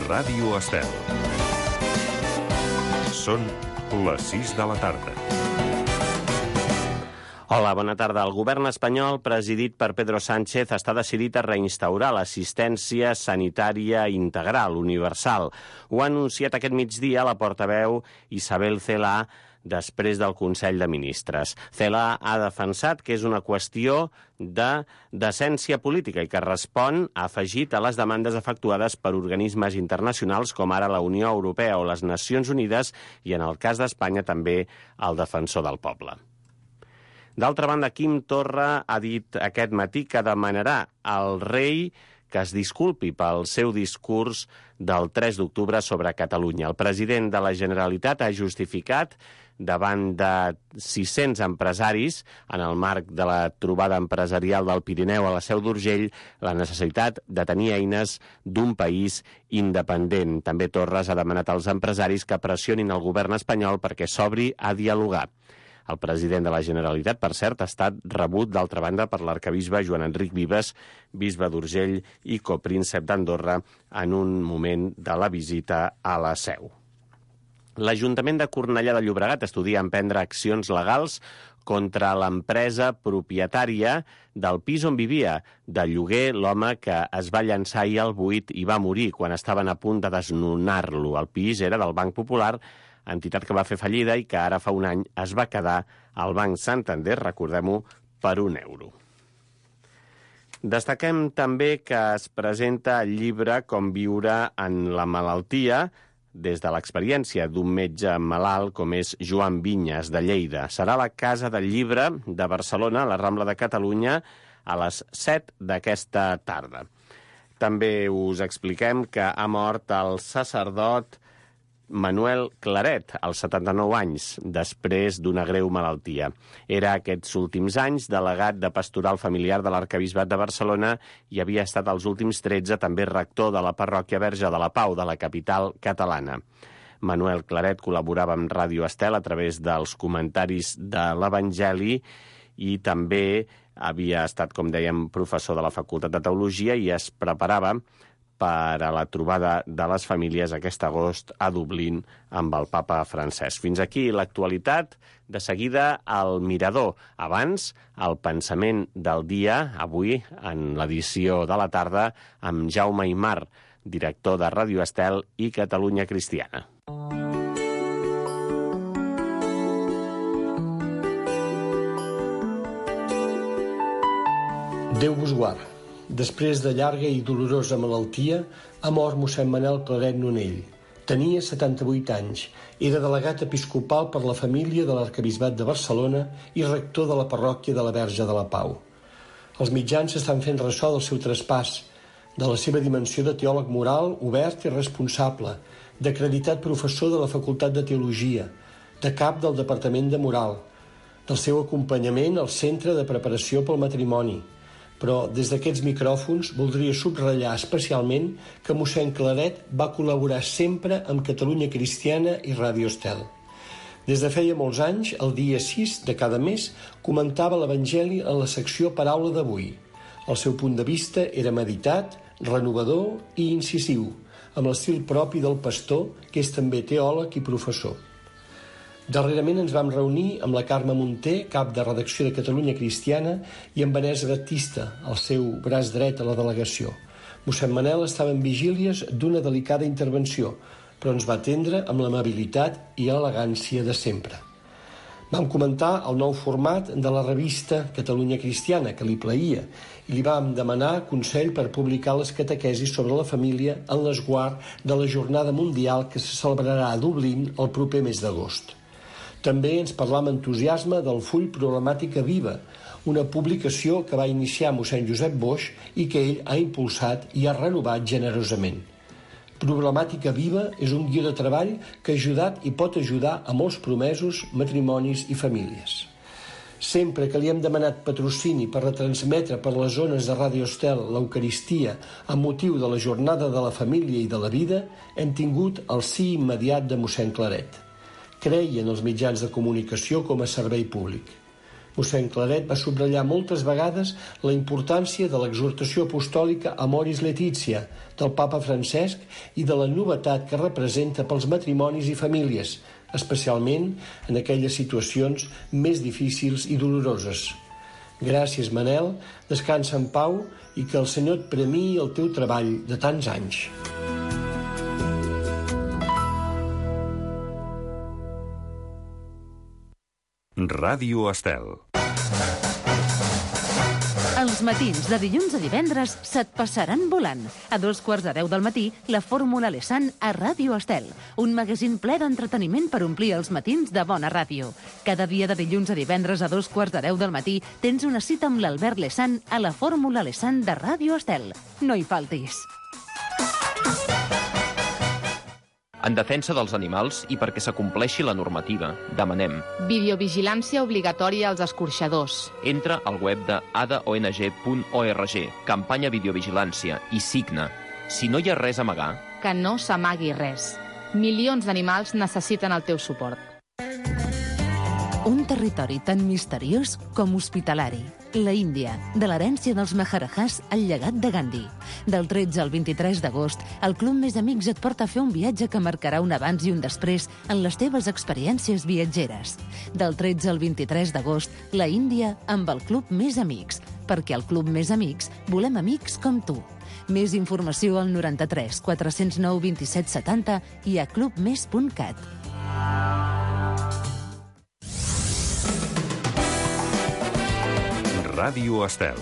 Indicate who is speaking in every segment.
Speaker 1: Ràdio Estel. Són les 6 de la tarda.
Speaker 2: Hola, bona tarda. El govern espanyol, presidit per Pedro Sánchez, està decidit a reinstaurar l'assistència sanitària integral, universal. Ho ha anunciat aquest migdia la portaveu Isabel Celaá després del Consell de Ministres. Celaá ha defensat que és una qüestió de decència política i que respon, ha afegit, a les demandes efectuades per organismes internacionals com ara la Unió Europea o les Nacions Unides i, en el cas d'Espanya, també el Defensor del Poble. D'altra banda, Quim Torra ha dit aquest matí que demanarà al rei que es disculpi pel seu discurs del 3 d'octubre sobre Catalunya. El president de la Generalitat ha justificat davant de 600 empresaris, en el marc de la trobada empresarial del Pirineu a la Seu d'Urgell, la necessitat de tenir eines d'un país independent. També Torres ha demanat als empresaris que pressionin el govern espanyol perquè s'obri a dialogar. El president de la Generalitat, per cert, ha estat rebut, d'altra banda, per l'arquebisbe Joan Enric Vives, bisbe d'Urgell i copríncep d'Andorra, en un moment de la visita a la Seu. L'Ajuntament de Cornellà de Llobregat estudia emprendre accions legals contra l'empresa propietària del pis on vivia. De lloguer, l'home que es va llançar ahir al buit i va morir quan estaven a punt de desnonar-lo. El pis era del Banc Popular, entitat que va fer fallida i que ara fa un any es va quedar al Banc Santander, recordem-ho, per €1. Destaquem també que es presenta el llibre Com viure en la malaltia, des de l'experiència d'un metge malalt com és Joan Vinyes, de Lleida. Serà a la Casa del Llibre de Barcelona, a la Rambla de Catalunya, a les 7 d'aquesta tarda. També us expliquem que ha mort el sacerdot Manuel Claret, als 79 anys, després d'una greu malaltia. Era aquests últims anys delegat de pastoral familiar de l'Arquebisbat de Barcelona i havia estat els últims 13 també rector de la parròquia Verge de la Pau, de la capital catalana. Manuel Claret col·laborava amb Ràdio Estel a través dels comentaris de l'Evangeli i també havia estat, com dèiem, professor de la Facultat de Teologia i es preparava per a la trobada de les famílies aquest agost a Dublín amb el papa Francesc. Fins aquí l'actualitat. De seguida, el Mirador. Abans, el pensament del dia, avui, en l'edició de la tarda, amb Jaume Aymar, director de Ràdio Estel i Catalunya Cristiana.
Speaker 3: Déu vos guard. Després de llarga i dolorosa malaltia, ha mort mossèn Manel Claret Nonell. Tenia 78 anys, era delegat episcopal per la família de l'Arquebisbat de Barcelona i rector de la parròquia de la Verge de la Pau. Els mitjans estan fent ressò del seu traspàs, de la seva dimensió de teòleg moral, obert i responsable, d'acreditat professor de la Facultat de Teologia, de cap del Departament de Moral, del seu acompanyament al Centre de Preparació pel Matrimoni. Però des d'aquests micròfons voldria subratllar especialment que mossèn Claret va col·laborar sempre amb Catalunya Cristiana i Ràdio Estel. Des de feia molts anys, el dia 6 de cada mes, comentava l'Evangeli en la secció Paraula d'avui. El seu punt de vista era meditat, renovador i incisiu, amb l'estil propi del pastor, que és també teòleg i professor. Darrerament ens vam reunir amb la Carme Munter, cap de redacció de Catalunya Cristiana, i amb Vanessa Batista, el seu braç dret a la delegació. Mossèn Manel estava en vigílies d'una delicada intervenció, però ens va atendre amb l'amabilitat i elegància de sempre. Vam comentar el nou format de la revista Catalunya Cristiana, que li plaïa, i li vam demanar consell per publicar les catequesis sobre la família en l'esguard de la Jornada Mundial que se celebrarà a Dublín el proper mes d'agost. També ens parlà amb entusiasme del full Problemàtica Viva, una publicació que va iniciar mossèn Josep Boix i que ell ha impulsat i ha renovat generosament. Problemàtica Viva és un guió de treball que ha ajudat i pot ajudar a molts promesos, matrimonis i famílies. Sempre que li hem demanat patrocini per retransmetre per les zones de Ràdio Estel l'Eucaristia amb motiu de la Jornada de la Família i de la Vida, hem tingut el sí immediat de mossèn Claret. Creia en els mitjans de comunicació com a servei públic. Mossèn Claret va subratllar moltes vegades la importància de l'exhortació apostòlica Amoris Laetitia del papa Francesc i de la novetat que representa pels matrimonis i famílies, especialment en aquelles situacions més difícils i doloroses. Gràcies, Manel, descansa en pau i que el Senyor et premiï el teu treball de tants anys.
Speaker 1: Ràdio Estel.
Speaker 4: Els matins de dilluns a divendres se't passaran volant. A 2:15 del matí, la Fórmula Lesan a Ràdio Estel. Un magazín ple d'entreteniment per omplir els matins de bona ràdio. Cada dia de dilluns a divendres a 2:15 del matí tens una cita amb l'Albert Lesan a la Fórmula Lesan de Ràdio Estel. No hi faltis.
Speaker 5: En defensa dels animals i perquè s'acompleixi la normativa, demanem
Speaker 6: videovigilància obligatòria als escorxadors.
Speaker 5: entra al web de adaong.org, campanya videovigilància, i signa. Si no hi ha res a amagar,
Speaker 6: Que no s'amagui res. Milions d'animals necessiten el teu suport.
Speaker 4: Un territori tan misteriós com hospitalari. La Índia, de l'herència dels Maharajahs al llegat de Gandhi. Del 13 al 23 d'agost, el Club Més Amics et porta a fer un viatge que marcarà un abans i un després en les teves experiències viatgeres. Del 13 al 23 d'agost, la Índia amb el Club Més Amics, perquè al Club Més Amics volem amics com tu. Més informació al 93 409 27 70 i a clubmes.cat.
Speaker 1: Ràdio Estel.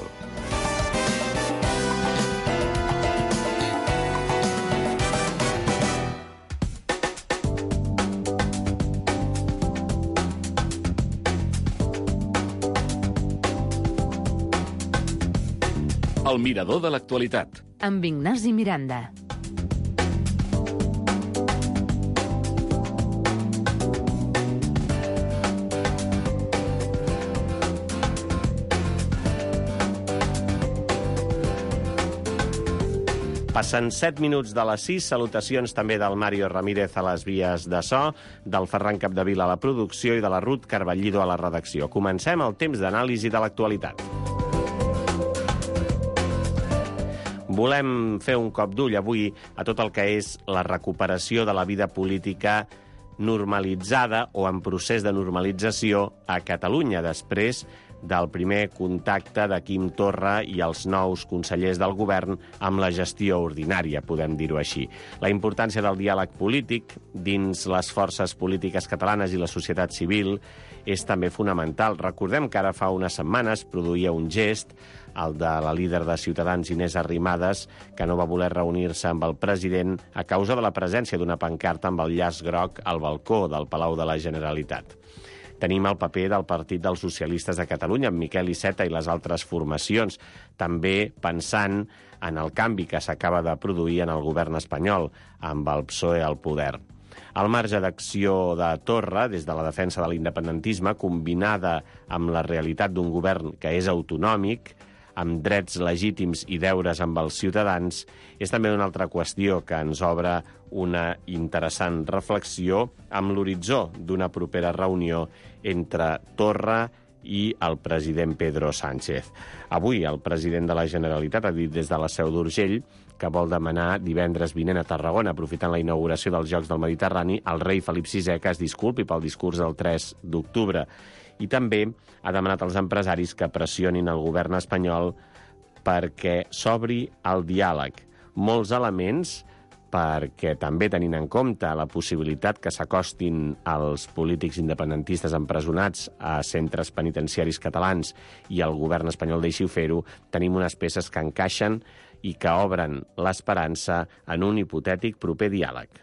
Speaker 7: El mirador de l'actualitat.
Speaker 4: Amb Ignasi Miranda.
Speaker 2: Passen 7 minuts de les 6. Salutacions també del Mario Ramírez a les vies de so, del Ferran Capdevila a la producció i de la Ruth Carballido a la redacció. Comencem el temps d'anàlisi de l'actualitat. Volem fer un cop d'ull avui a tot el que és la recuperació de la vida política normalitzada o en procés de normalització a Catalunya després del primer contacte de Quim Torra i els nous consellers del govern amb la gestió ordinària, podem dir-ho així. La importància del diàleg polític dins les forces polítiques catalanes i la societat civil és també fonamental. Recordem que ara fa unes setmanes produïa un gest, el de la líder de Ciutadans, Inés Arrimadas, que no va voler reunir-se amb el president a causa de la presència d'una pancarta amb el llaç groc al balcó del Palau de la Generalitat. Tenim el paper del Partit dels Socialistes de Catalunya, amb Miquel Iceta i les altres formacions, també pensant en el canvi que s'acaba de produir en el govern espanyol, amb el PSOE al poder. El marge d'acció de Torra, des de la defensa de l'independentisme, combinada amb la realitat d'un govern que és autonòmic, amb drets legítims i deures amb els ciutadans, és també una altra qüestió que ens obre una interessant reflexió amb l'horitzó d'una propera reunió entre Torra i el president Pedro Sánchez. Avui el president de la Generalitat ha dit des de la Seu d'Urgell que vol demanar divendres vinent a Tarragona, aprofitant la inauguració dels Jocs del Mediterrani, al rei Felip VI que es disculpi pel discurs del 3 d'octubre. I també ha demanat als empresaris que pressionin el govern espanyol perquè s'obri el diàleg. Molts elements perquè també tenint en compte la possibilitat que s'acostin els polítics independentistes empresonats a centres penitenciaris catalans i el govern espanyol deixi fer-ho, tenim unes peces que encaixen i que obren l'esperança en un hipotètic proper diàleg.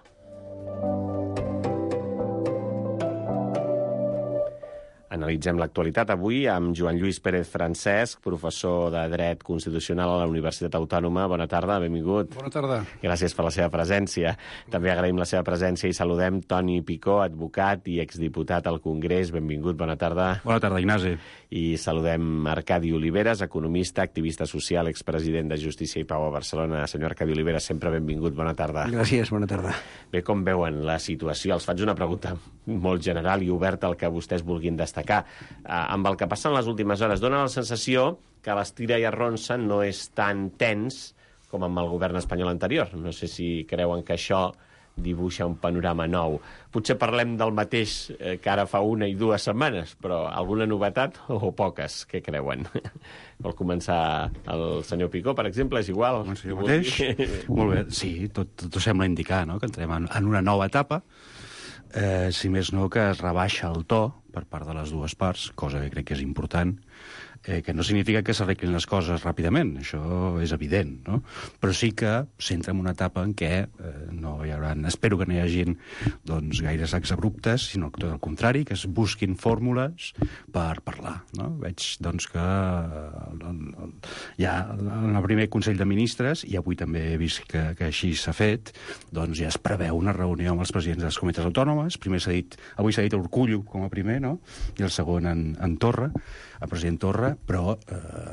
Speaker 2: Analitzem l'actualitat avui amb Joan Lluís Pérez Francesc, professor de Dret Constitucional a la Universitat Autònoma. Bona tarda, benvingut.
Speaker 8: Bona tarda.
Speaker 2: Gràcies per la seva presència. També agraïm la seva presència i saludem Toni Picó, advocat i exdiputat al Congrés. Benvingut, bona tarda.
Speaker 8: Bona tarda, Ignasi.
Speaker 2: I saludem Arcadi Oliveres, economista, activista social, expresident de Justícia i Pau a Barcelona. Senyor Arcadi Oliveres, sempre benvingut, bona tarda.
Speaker 9: Gràcies, bona tarda.
Speaker 2: Bé, com veuen la situació? Els faig una pregunta molt general i oberta al que vostès vulguin destacar destacar. Amb el que passa en les últimes hores, dona la sensació que l'estira i arronsa no és tan tens com amb el govern espanyol anterior. No sé si creuen que això dibuixa un panorama nou. Potser parlem del mateix que ara fa 1 i 2 setmanes, però alguna novetat o poques? Què creuen? Vol començar el senyor Picó, per exemple? És igual?
Speaker 8: Jo mateix? Molt bé. Sí, tot sembla indicar, no?, que entrem en una nova etapa, si més no que es rebaixa el to per part de les dues parts, cosa que crec que és important, que no significa que s'arreglin les coses ràpidament, això és evident, no? Però sí que s'entra en una etapa en què no hi haurà, espero que no hi hagin doncs, gaires exabruptes, sinó que tot el contrari, que es busquin fórmules per parlar, no? Veig doncs, que ja en el primer Consell de Ministres, i avui també he vist que així s'ha fet, doncs ja es preveu una reunió amb els presidents de les comunitats autònomes. Avui s'ha dit Urkullu com a primer, no?, i el segon en Torra, el president Torra, però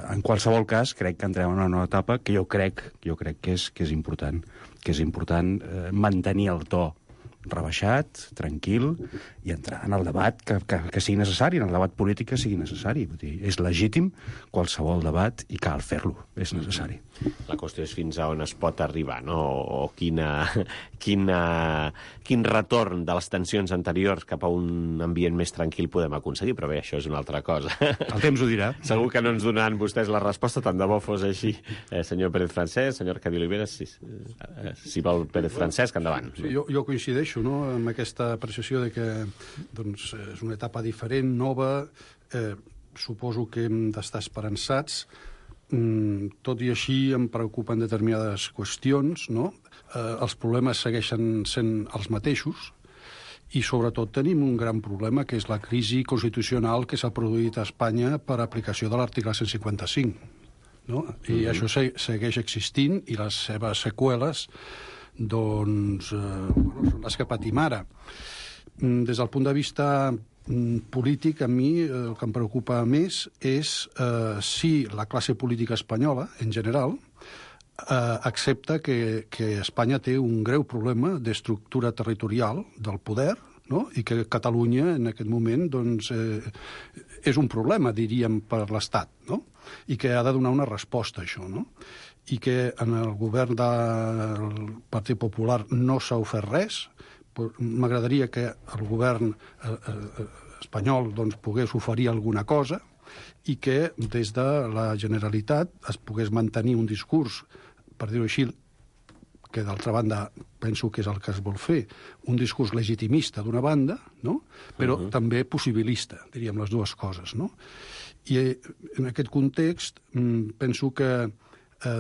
Speaker 8: en qualsevol cas crec que entrem en una nova etapa que jo crec que és important mantenir el to rebaixat, tranquil, i entrar en el debat que sigui necessari, en el debat polític que sigui necessari. Vull dir, és legítim qualsevol debat i cal fer-lo, és necessari.
Speaker 2: La qüestió és fins a on es pot arribar, no? O quin retorn de les tensions anteriors cap a un ambient més tranquil podem aconseguir, però bé, això és una altra cosa.
Speaker 8: El temps ho dirà.
Speaker 2: Segur que no ens donaran vostès la resposta, tant de bo fos així. Senyor Pérez Francesc, senyor Arcadi Oliveres, si vol Pérez Francesc, endavant.
Speaker 9: Sí, jo coincideixo, no?, amb aquesta apreciació de que doncs, és una etapa diferent, nova, suposo que hem d'estar esperançats. Tot i així em preocupen determinades qüestions, no? Els problemes segueixen sent els mateixos i sobretot tenim un gran problema, que és la crisi constitucional que s'ha produït a Espanya per aplicació de l'article 155. No? I això segueix existint i les seves seqüeles doncs, són les que patim ara. Des del punt de vista polític, a mi el que em preocupa més és si la classe política espanyola, en general, accepta que Espanya té un greu problema d'estructura territorial del poder, no?, i que Catalunya en aquest moment doncs, és un problema, diríem, per l'Estat, no?, i que ha de donar una resposta a això, no?, i que en el govern del Partit Popular no s'ha ofert res. M'agradaria que el govern espanyol doncs, pogués oferir alguna cosa i que des de la Generalitat es pogués mantenir un discurs, per dir-ho així, que d'altra banda penso que és el que es vol fer, un discurs legitimista d'una banda, no?, però també possibilista, diríem les dues coses, no? I en aquest context penso que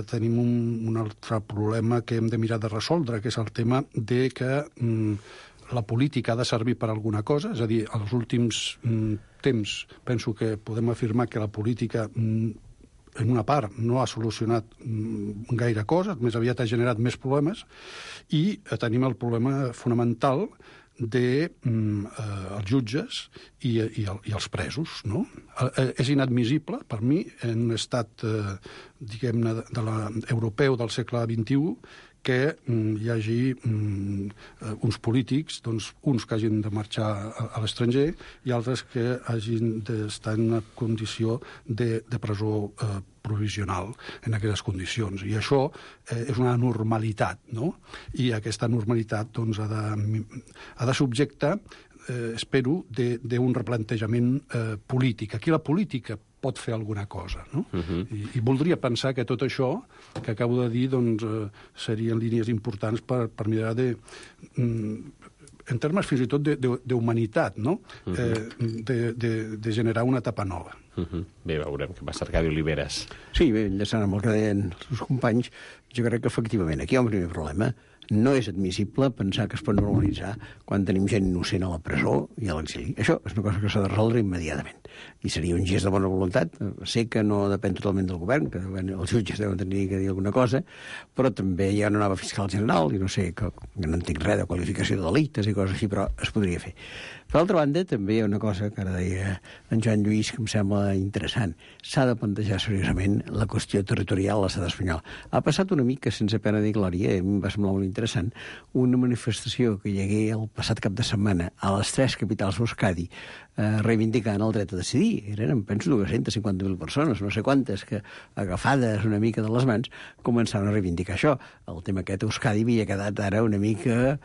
Speaker 9: tenim un altre problema que hem de mirar de resoldre, que és el tema de que la política ha de servir per alguna cosa, és a dir, als últims temps penso que podem afirmar que la política en una part no ha solucionat gaire cosa, més aviat ha generat més problemes, i tenim el problema fonamental dels jutges i els presos, no? És inadmissible, per mi, en un estat, diguem-ne, europeu del segle XXI, que hi hagi uns polítics, doncs, uns que hagin de marxar a l'estranger i altres que hagin d'estar en una condició de presó provisional en aquestes condicions. I això és una normalitat, no? I aquesta normalitat doncs, ha de subjectar, espero, d'un replantejament polític. Aquí la política pot fer alguna cosa, no? I voldria pensar que tot això que acabo de dir doncs, serien línies importants per mirar en termes fins i tot d'humanitat, no? De generar una etapa nova.
Speaker 2: Bé, veurem què passa, Arcadi Oliveres.
Speaker 10: Sí, bé, enllaçant amb el que deien els seus companys, jo crec que efectivament aquí hi ha un primer problema. No és admissible pensar que es pot normalitzar quan tenim gent innocent a la presó i a l'exili. Això és una cosa que s'ha de resoldre immediatament. I seria un gest de bona voluntat. Sé que no depèn totalment del govern, que els jutges deuen tenir que dir alguna cosa, però també hi ha una nova fiscal general, i no sé, que no entenc res de qualificació de delictes i coses així, però es podria fer. Per altra banda, també hi ha una cosa que ara deia en Joan Lluís que em sembla interessant. S'ha de plantejar seriosament la qüestió territorial a l'estat espanyol. Ha passat una mica sense pena ni glòria, em va semblar molt interessant interessant, una manifestació que hi hagué el passat cap de setmana a les 3 capitals d'Euskadi reivindicant el dret a decidir. Eren, penso, 250.000 persones, no sé quantes, que agafades una mica de les mans començaven a reivindicar això. El tema aquest a Euskadi havia quedat ara una mica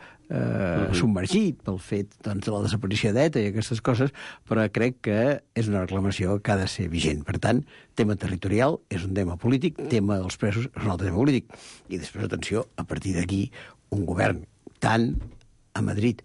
Speaker 10: submergit pel fet de la desaparició d'ETA i aquestes coses, però crec que és una reclamació que ha de ser vigent. Per tant, tema territorial és un tema polític, tema dels presos és un altre tema polític. I després, atenció, a partir d'aquí, un govern tant a Madrid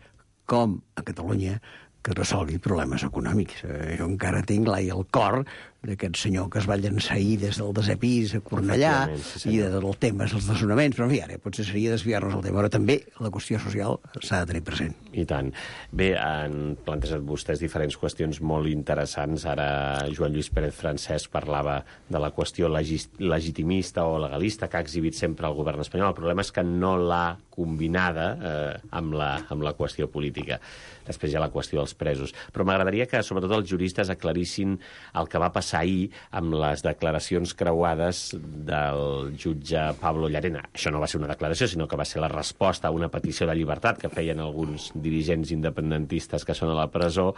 Speaker 10: com a Catalunya que resolgui problemes econòmics. Jo encara tinc l'ai al cor d'aquest senyor que es va llançar ahir des del desè pis a Cornellà i del tema dels desnonaments, però en fi, ara potser seria desviar-nos el tema, però també la qüestió social s'ha de tenir present.
Speaker 2: I tant. Bé, han plantejat vostès diferents qüestions molt interessants. Ara Joan Lluís Pérez Francesc parlava de la qüestió legitimista o legalista que ha exhibit sempre el govern espanyol. El problema és que no l'ha combinada amb la qüestió política. Després hi ha la qüestió dels presos. Però m'agradaria que, sobretot, els juristes aclarissin el que va passar ahir amb les declaracions creuades del jutge Pablo Llarena. Això no va ser una declaració, sinó que va ser la resposta a una petició de llibertat que feien alguns dirigents independentistes que són a la presó.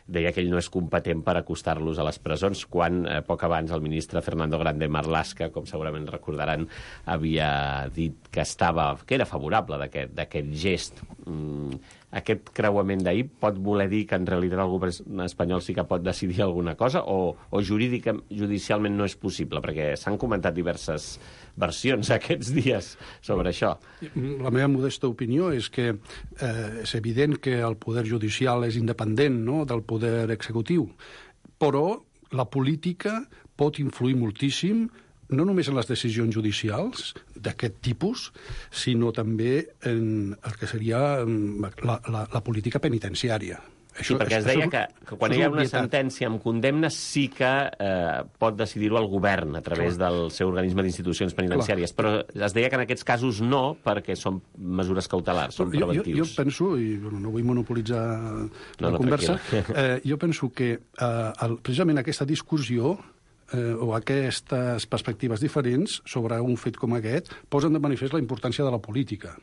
Speaker 2: Deia que ell no és competent per acostar-los a les presons, quan poc abans el ministre Fernando Grande Marlaska, com segurament recordaran, havia dit que era favorable d'aquest gest. Aquest creuament d'ahir pot voler dir que en realitat el govern espanyol sí que pot decidir alguna cosa o judicialment no és possible? Perquè s'han comentat diverses versions aquests dies sobre això.
Speaker 9: La meva modesta opinió és que és evident que el poder judicial és independent, no?, del poder executiu, però la política pot influir moltíssim no només en les decisions judicials d'aquest tipus, sinó també en el que seria la política penitenciària.
Speaker 2: Sí, perquè es deia que quan hi ha una sentència amb condemna sí que pot decidir-ho el govern a través del seu organisme d'institucions penitenciàries, però es deia que en aquests casos no, perquè són mesures cautelars, són preventius.
Speaker 9: Jo penso, i no vull monopolitzar la conversa, jo penso que precisament aquesta discussió o aquestes perspectives diferents sobre un fet com aquest posen de manifest la importància de la política.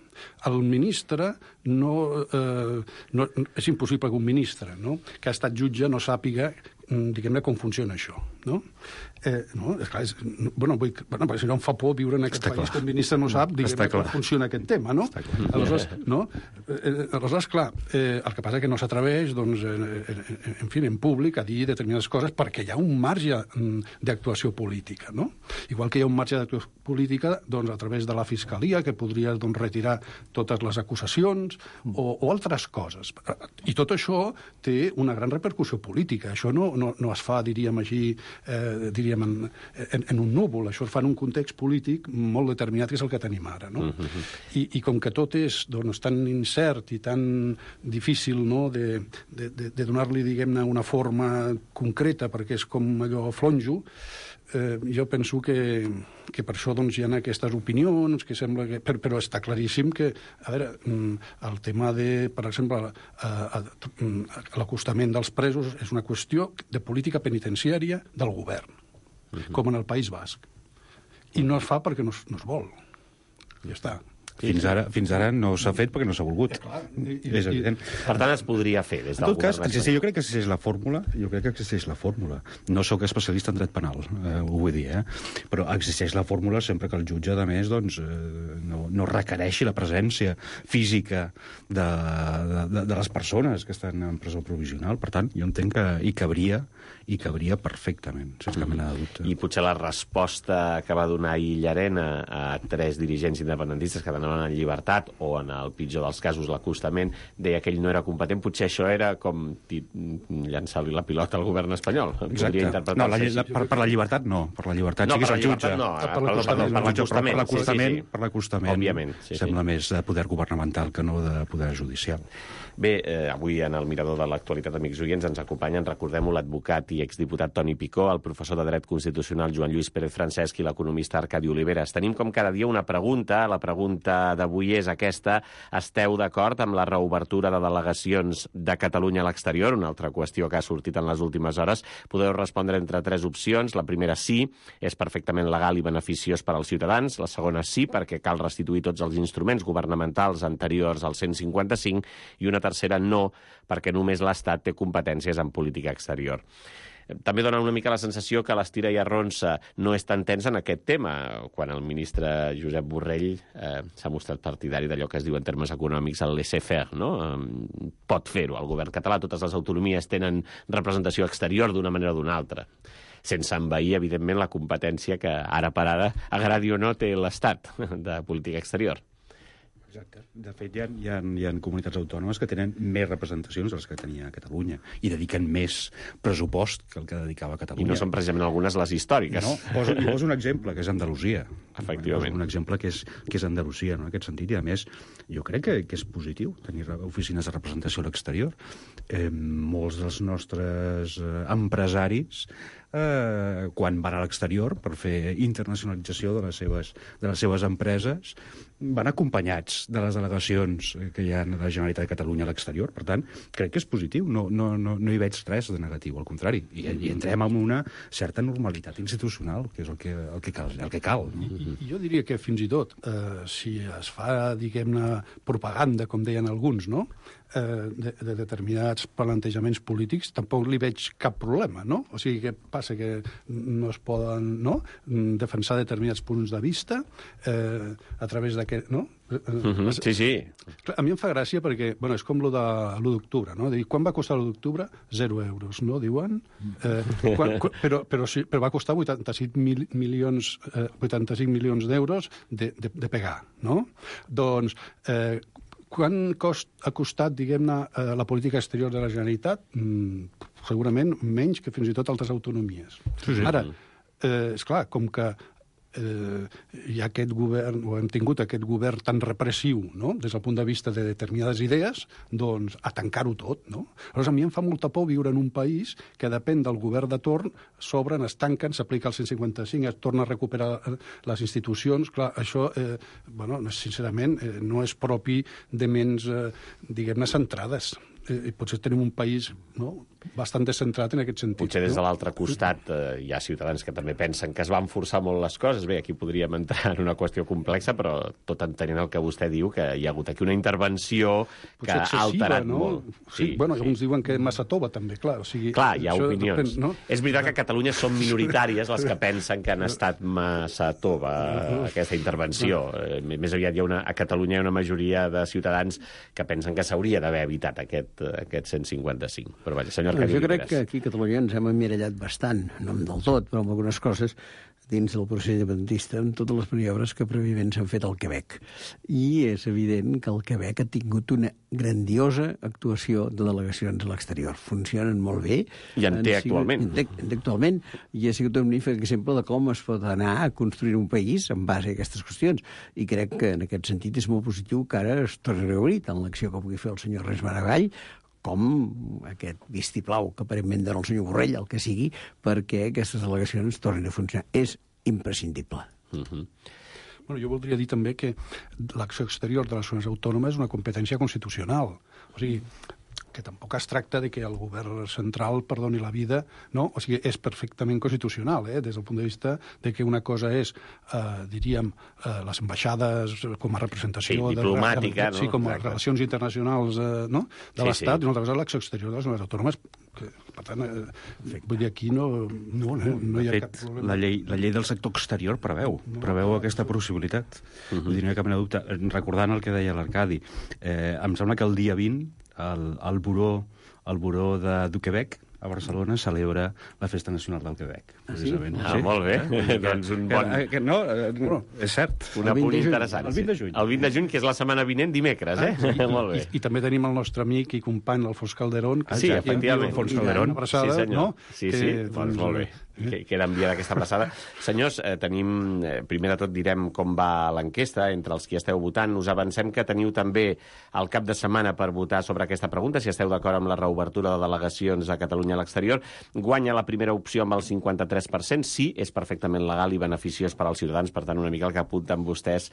Speaker 9: El ministre és impossible que un ministre, no?, que ha estat jutge no sàpiga, diguem-ne, com funciona això, no? És clar, perquè si no em fa por viure en aquest país que un ministre no sap, diguem-ne, com funciona aquest tema, no? Aleshores, clar, el que passa és que no s'atreveix, doncs, en fi, en públic, a dir determinades coses perquè hi ha un marge d'actuació política, no? Igual que hi ha un marge d'actuació política, doncs, a través de la Fiscalia, que podria, doncs, retirar totes les acusacions o altres coses. I tot això té una gran repercussió política. Això no es fa, diríem així, en un núvol. Això es fa en un context polític molt determinat, que és el que tenim ara, no? I com que tot és, doncs, tan incert i tan difícil, no?, de donar-li, diguem-ne, una forma concreta, perquè és com allò flonjo, jo penso que per això, doncs, hi ha aquestes opinions, que sembla que... Però està claríssim que, a veure, el tema de, per exemple, l'acostament dels presos és una qüestió de política penitenciària del govern, com en el País Basc. I no es fa perquè no es vol. Ja està.
Speaker 8: Fins ara no s'ha fet perquè no s'ha volgut. És evident.
Speaker 2: Per tant, es podria fer des del govern.
Speaker 8: En tot cas, jo crec que existeix la fórmula. No sóc especialista en dret penal, ho vull dir, però existeix la fórmula sempre que el jutge, a més, doncs, no requereixi la presència física de les persones que estan en presó provisional. Per tant, jo entenc que hi cabria perfectament, sense cap mena de dubte.
Speaker 2: I potser la resposta que va donar ahir Llarena a 3 dirigents independentistes que anaven en llibertat, o en el pitjor dels casos l'acostament, deia que ell no era competent. Potser això era com llançar-li la pilota al govern espanyol.
Speaker 8: Exacte. No, per la llibertat no. Per la llibertat sí que és el jutge. Per l'acostament.
Speaker 2: Òbviament.
Speaker 8: Sembla més de poder governamental que no de poder judicial.
Speaker 2: Bé, avui en el Mirador de l'Actualitat, amics oients, ens acompanyen, recordem-ho, l'advocat i exdiputat Toni Picó, el professor de Dret Constitucional Joan Lluís Pérez Francesc i l'economista Arcadi Oliveres. Tenim com cada dia una pregunta. La pregunta pregunta d'avui és aquesta. Esteu d'acord amb la reobertura de delegacions de Catalunya a l'exterior? Una altra qüestió que ha sortit en les últimes hores. Podeu respondre entre 3 opcions. La primera, sí, és perfectament legal i beneficiós per als ciutadans. La segona, sí, perquè cal restituir tots els instruments governamentals anteriors al 155. I una tercera, no, perquè només l'Estat té competències en política exterior. També dona una mica la sensació que l'estira i arronsa no és tan tens en aquest tema, quan el ministre Josep Borrell s'ha mostrat partidari d'allò que es diu en termes econòmics el laissez-faire, no? Pot fer-ho el govern català, totes les autonomies tenen representació exterior d'una manera o d'una altra, sense envair, evidentment, la competència que ara per ara, agradi o no, té l'Estat de política exterior.
Speaker 8: Exacte. De fet, hi ha comunitats autònomes que tenen més representacions de les que tenia Catalunya i dediquen més pressupost que el que dedicava Catalunya.
Speaker 2: I no són precisament algunes les històriques.
Speaker 8: No, poso un exemple, que és Andalusia.
Speaker 2: Efectivament.
Speaker 8: Un exemple que és Andalusia, no? En aquest sentit. I, a més, jo crec que és positiu tenir oficines de representació a l'exterior. Molts dels nostres empresaris quan van a l'exterior per fer internacionalització de les seves empreses van acompanyats de les delegacions que hi ha a la Generalitat de Catalunya a l'exterior. Per tant, crec que és positiu. No hi veig res de negatiu, al contrari. I entrem en una certa normalitat institucional, que és el que cal.
Speaker 9: I jo diria que fins i tot, si es fa, diguem-ne, propaganda, com deien alguns, no?, de determinats plantejaments polítics, tampoc li veig cap problema, no? O sigui, què passa? Que no es poden, no?, defensar determinats punts de vista a través d'aquest, no?
Speaker 2: Sí, sí.
Speaker 9: A mi em fa gràcia perquè, bueno, és com lo de l'1 d'octubre, no? Dir, quan va costar l'1 d'octubre? 0 euros, no? Diuen. Però va costar 85 milions d'euros de pegar, no? Doncs, quan ha costat, diguem-ne, la política exterior de la Generalitat? Segurament menys que fins i tot altres autonomies.
Speaker 8: Sí.
Speaker 9: Ara, esclar, com que hi ha aquest govern, o hem tingut aquest govern tan repressiu, no?, des del punt de vista de determinades idees, doncs a tancar-ho tot, no? Aleshores, a mi em fa molta por viure en un país que depèn del govern de torn, s'obren, es tanquen, s'aplica el 155, es torna a recuperar les institucions. Clar, això, sincerament, no és propi de ments, diguem-ne, centrades. I potser tenim un país, no?, bastant descentrat en aquest sentit.
Speaker 2: Potser des de l'altre costat hi ha ciutadans que també pensen que es van forçar molt les coses. Bé, aquí podríem entrar en una qüestió complexa, però tot entenent el que vostè diu, que hi ha hagut aquí una intervenció que ha alterat molt.
Speaker 9: Sí, bueno, alguns diuen que massa tova, també, clar. O sigui,
Speaker 2: clar, hi ha opinions.
Speaker 9: Depèn, no?
Speaker 2: És veritat que a Catalunya són minoritàries les que pensen que han estat massa tova aquesta intervenció. Més aviat a Catalunya hi ha una majoria de ciutadans que pensen que s'hauria d'haver evitat aquest 155. Però vaja, senyor Arcadi
Speaker 10: Jo crec
Speaker 2: Oliveres.
Speaker 10: que aquí a Catalunya ens hem emmirallat bastant, no del tot, però amb algunes coses dins del procés independentista, amb totes les maniobres que prèviament s'han fet al Quebec. I és evident que el Quebec ha tingut una grandiosa actuació de delegacions a l'exterior. Funcionen molt bé.
Speaker 2: I en té actualment.
Speaker 10: Actualment, i ha sigut un magnífic exemple de com es pot anar a construir un país en base a aquestes qüestions. I crec que en aquest sentit és molt positiu que ara es torni a reobrir tant l'acció que pugui fer el senyor Ernest Maragall com aquest vistiplau que aparentment dona el senyor Borrell, el que sigui, perquè aquestes delegacions tornin a funcionar. És imprescindible.
Speaker 9: Bueno, jo voldria dir també que l'acció exterior de les zones autònomes és una competència constitucional. O sigui, que tampoc es tracta de que el govern central perdoni la vida, no? O sigui, és perfectament constitucional, des del punt de vista de que una cosa és, diríem, les ambaixades com a representació...
Speaker 2: Sí, diplomàtica, no?
Speaker 9: Sí, com a relacions internacionals de l'Estat, i una altra cosa l'acció exterior de les zones autònomes, que, per tant, vull dir, aquí no hi ha cap problema.
Speaker 8: La llei del sector exterior preveu aquesta possibilitat. Vull dir, no hi ha cap mena de dubte. Recordant el que deia l'Arcadi, em sembla que el dia 20 el Buró du Quebec a Barcelona celebra la Festa Nacional del Quebec.
Speaker 10: Sí?
Speaker 2: Molt bé. Doncs un bon...
Speaker 8: No, és cert.
Speaker 2: Un apunt interessant.
Speaker 8: El 20 de juny.
Speaker 2: El 20 de juny, que és la setmana vinent, dimecres, Molt bé.
Speaker 9: I també tenim el nostre amic i company, l'Alfons Calderón.
Speaker 2: Sí, efectivament.
Speaker 8: Alfons Calderón.
Speaker 9: Una abraçada,
Speaker 2: sí, senyor.
Speaker 9: no?
Speaker 2: Sí, doncs molt bé. que era enviada aquesta abraçada. Senyors, tenim... primer de tot direm com va l'enquesta entre els qui esteu votant. Us avancem que teniu també el cap de setmana per votar sobre aquesta pregunta, si esteu d'acord amb la reobertura de delegacions a Catalunya a l'exterior. Guanya la primera opció amb el 53%. Sí, és perfectament legal i beneficiós per als ciutadans. Per tant, una mica el que apunten vostès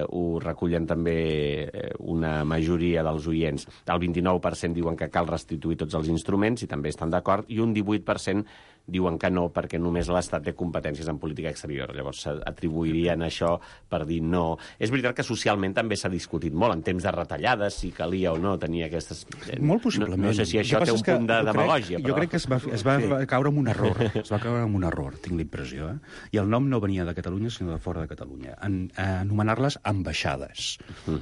Speaker 2: ho recullen també una majoria dels oients. El 29% diuen que cal restituir tots els instruments i també estan d'acord, i un 18% diuen que no, perquè només l'Estat té competències en política exterior. Llavors s'atribuirien això per dir no. És veritat que socialment també s'ha discutit molt, en temps de retallades, si calia o no tenir aquestes...
Speaker 8: Molt possiblement.
Speaker 2: No sé si això té un punt de demagògia, però...
Speaker 8: Jo crec que es va caure en un error. Es va caure en un error, tinc la impressió. I el nom no venia de Catalunya, sinó de fora de Catalunya. Anomenar-les ambaixades.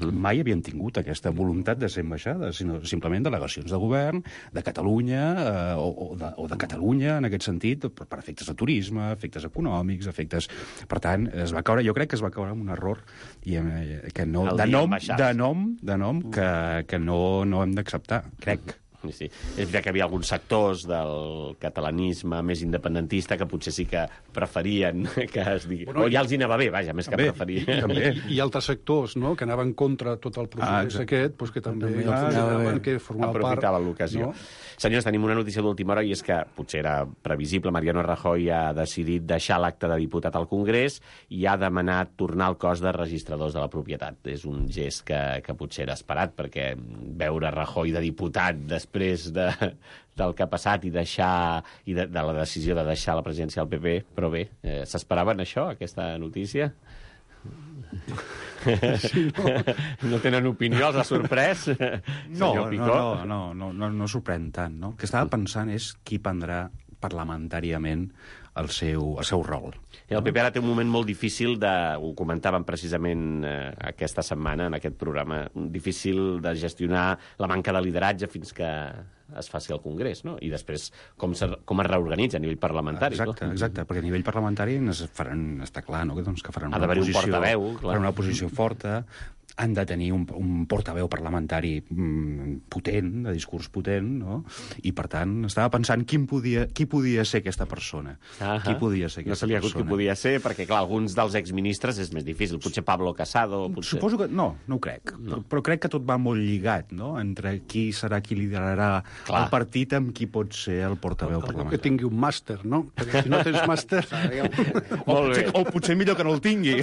Speaker 8: Mai havien tingut aquesta voluntat de ser ambaixades, sinó simplement delegacions de govern, de Catalunya, o de Catalunya, en aquest sentit, per efectes de turisme, efectes econòmics, efectes... Per tant, jo crec que es va caure en un error que no, de nom que no hem d'acceptar, crec.
Speaker 2: Sí. És veritat que hi havia alguns sectors del catalanisme més independentista que potser sí que preferien que es digui... O ja els hi anava bé, vaja, més que preferien.
Speaker 9: I altres sectors, no?, que anaven contra tot el procés aquest, doncs que també consideraven que formava part...
Speaker 2: Aprofitaven l'ocasió. No? Senyors, tenim una notícia d'última hora i és que potser era previsible. Mariano Rajoy ha decidit deixar l'acte de diputat al Congrés i ha demanat tornar al cos de registradors de la propietat. És un gest que potser era esperat, perquè veure Rajoy de diputat després del que ha passat i de la decisió de deixar la presidència del PP, però bé, s'esperaven això, aquesta notícia?
Speaker 9: Sí,
Speaker 2: no tenen opinió, els ha sorprès?
Speaker 8: No sorprèn tant, no? El que estava pensant és qui prendrà parlamentàriament el seu rol.
Speaker 2: I el PP ara té un moment molt difícil ho comentàvem precisament aquesta setmana en aquest programa, difícil de gestionar la manca de lideratge fins que es faci al Congrés, no? I després com es reorganitza a nivell parlamentari.
Speaker 8: Exacte, perquè a nivell parlamentari està clar, no?, que faran
Speaker 2: una posició, un portaveu,
Speaker 8: faran una posició forta, han de tenir un portaveu parlamentari potent, de discurs potent, no? I, per tant, estava pensant qui podia ser aquesta persona. Qui podia ser aquesta persona.
Speaker 2: No se li ha hagut qui podia ser, perquè, clar, alguns dels exministres és més difícil. Potser Pablo Casado...
Speaker 8: Suposo que... No ho crec. No. Però crec que tot va molt lligat, no?, entre qui serà qui liderarà el partit amb qui pot ser el portaveu parlamentari.
Speaker 9: Que tingui un màster, no? Perquè si no tens màster...
Speaker 8: o potser millor que no el tingui.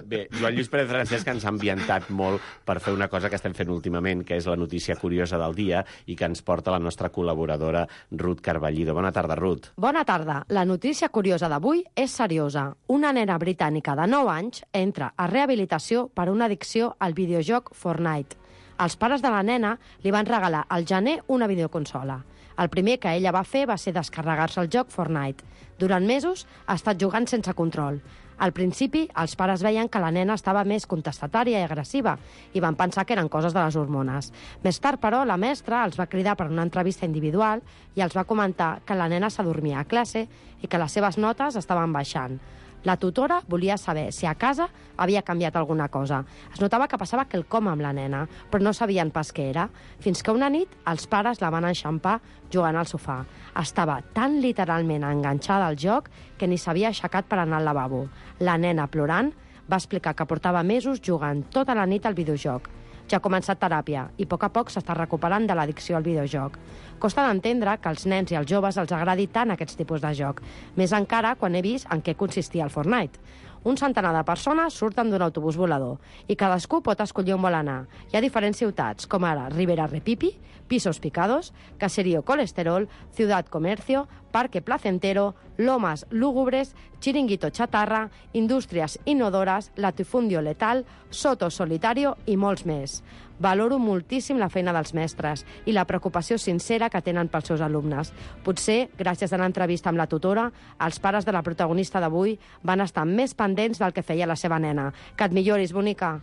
Speaker 2: Bé, Joan Lluís Pérez Francesc ens ha ambientat molt per fer una cosa que estem fent últimament, que és la notícia curiosa del dia i que ens porta la nostra col·laboradora Ruth Carballido. Bona tarda, Ruth.
Speaker 11: Bona tarda. La notícia curiosa d'avui és seriosa. Una nena britànica de 9 anys entra a rehabilitació per una addicció al videojoc Fortnite. Els pares de la nena li van regalar al gener una videoconsola. El primer que ella va fer va ser descarregar-se el joc Fortnite. Durant mesos ha estat jugant sense control. Al principi, els pares veien que la nena estava més contestatària i agressiva i van pensar que eren coses de les hormones. Més tard, però, la mestra els va cridar per una entrevista individual i els va comentar que la nena s'adormia a classe i que les seves notes estaven baixant. La tutora volia saber si a casa havia canviat alguna cosa. Es notava que passava quelcom amb la nena, però no sabien pas què era, fins que una nit els pares la van enxampar jugant al sofà. Estava tan literalment enganxada al joc que ni s'havia aixecat per anar al lavabo. La nena, plorant, va explicar que portava mesos jugant tota la nit al videojoc. Ja ha començat teràpia i a poc s'està recuperant de l'addicció al videojoc. Costa d'entendre que als nens i als joves els agradi tant aquests tipus de joc, més encara quan he vist en què consistia el Fortnite. Un centenar de persones surten d'un autobús volador i cadascú pot escollir on vol anar. Hi ha diferents ciutats, com ara Ribera Repipi, Pisos Picados, Caserío Colesterol, Ciudad Comercio, Parque Placentero, Lomas Lúgubres, Chiringuito Chatarra, Indústries Inodores, Latifundio Letal, Soto Solitario i molts més. Valoro moltíssim la feina dels mestres i la preocupació sincera que tenen pels seus alumnes. Potser, gràcies a l'entrevista amb la tutora, els pares de la protagonista d'avui van estar més pendents del que feia la seva nena. Que et milloris, bonica!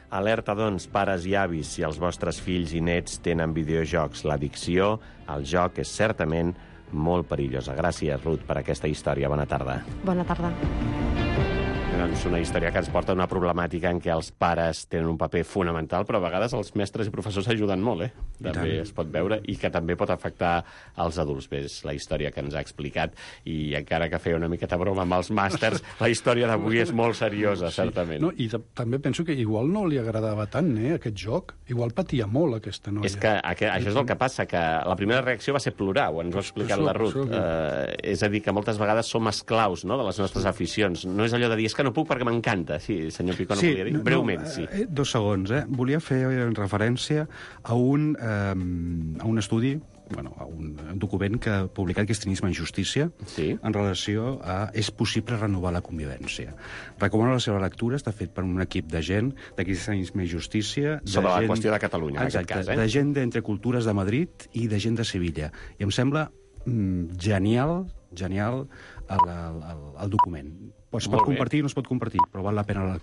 Speaker 2: Alerta, doncs, pares i avis, si els vostres fills i nets tenen videojocs. L'addicció al joc és certament molt perillosa. Gràcies, Ruth, per aquesta història. Bona tarda.
Speaker 11: Bona tarda.
Speaker 2: és una història que ens porta a una problemàtica en què els pares tenen un paper fonamental, però a vegades els mestres i professors ajuden molt, també es pot veure, i que també pot afectar els adults. Bé, és la història que ens ha explicat, i encara que feia una miqueta broma amb els màsters, la història d'avui és molt seriosa, certament.
Speaker 9: No, i també penso que igual no li agradava tant, aquest joc. Igual patia molt, aquesta noia.
Speaker 2: És que això és el que passa, que la primera reacció va ser plorar, ho ens ho ha explicat la Ruth. És a dir, que moltes vegades som esclaus, no?, de les nostres aficions. No és allò de dir, és que no puc perquè m'encanta. Sí, senyor Picó, no volia dir? Breument, sí.
Speaker 8: 2 segons, Volia fer referència a un estudi, a un document que ha publicat Cristianisme en Justícia, en relació a és possible renovar la convivència. Recomano la seva lectura, està fet per un equip de gent de Cristianisme i Justícia.
Speaker 2: Sobre la qüestió de Catalunya, en aquest cas,
Speaker 8: de gent d'Entre Cultures de Madrid i de gent de Sevilla. I em sembla genial el document. Es pot compartir o no es pot compartir, però val la pena la lectura.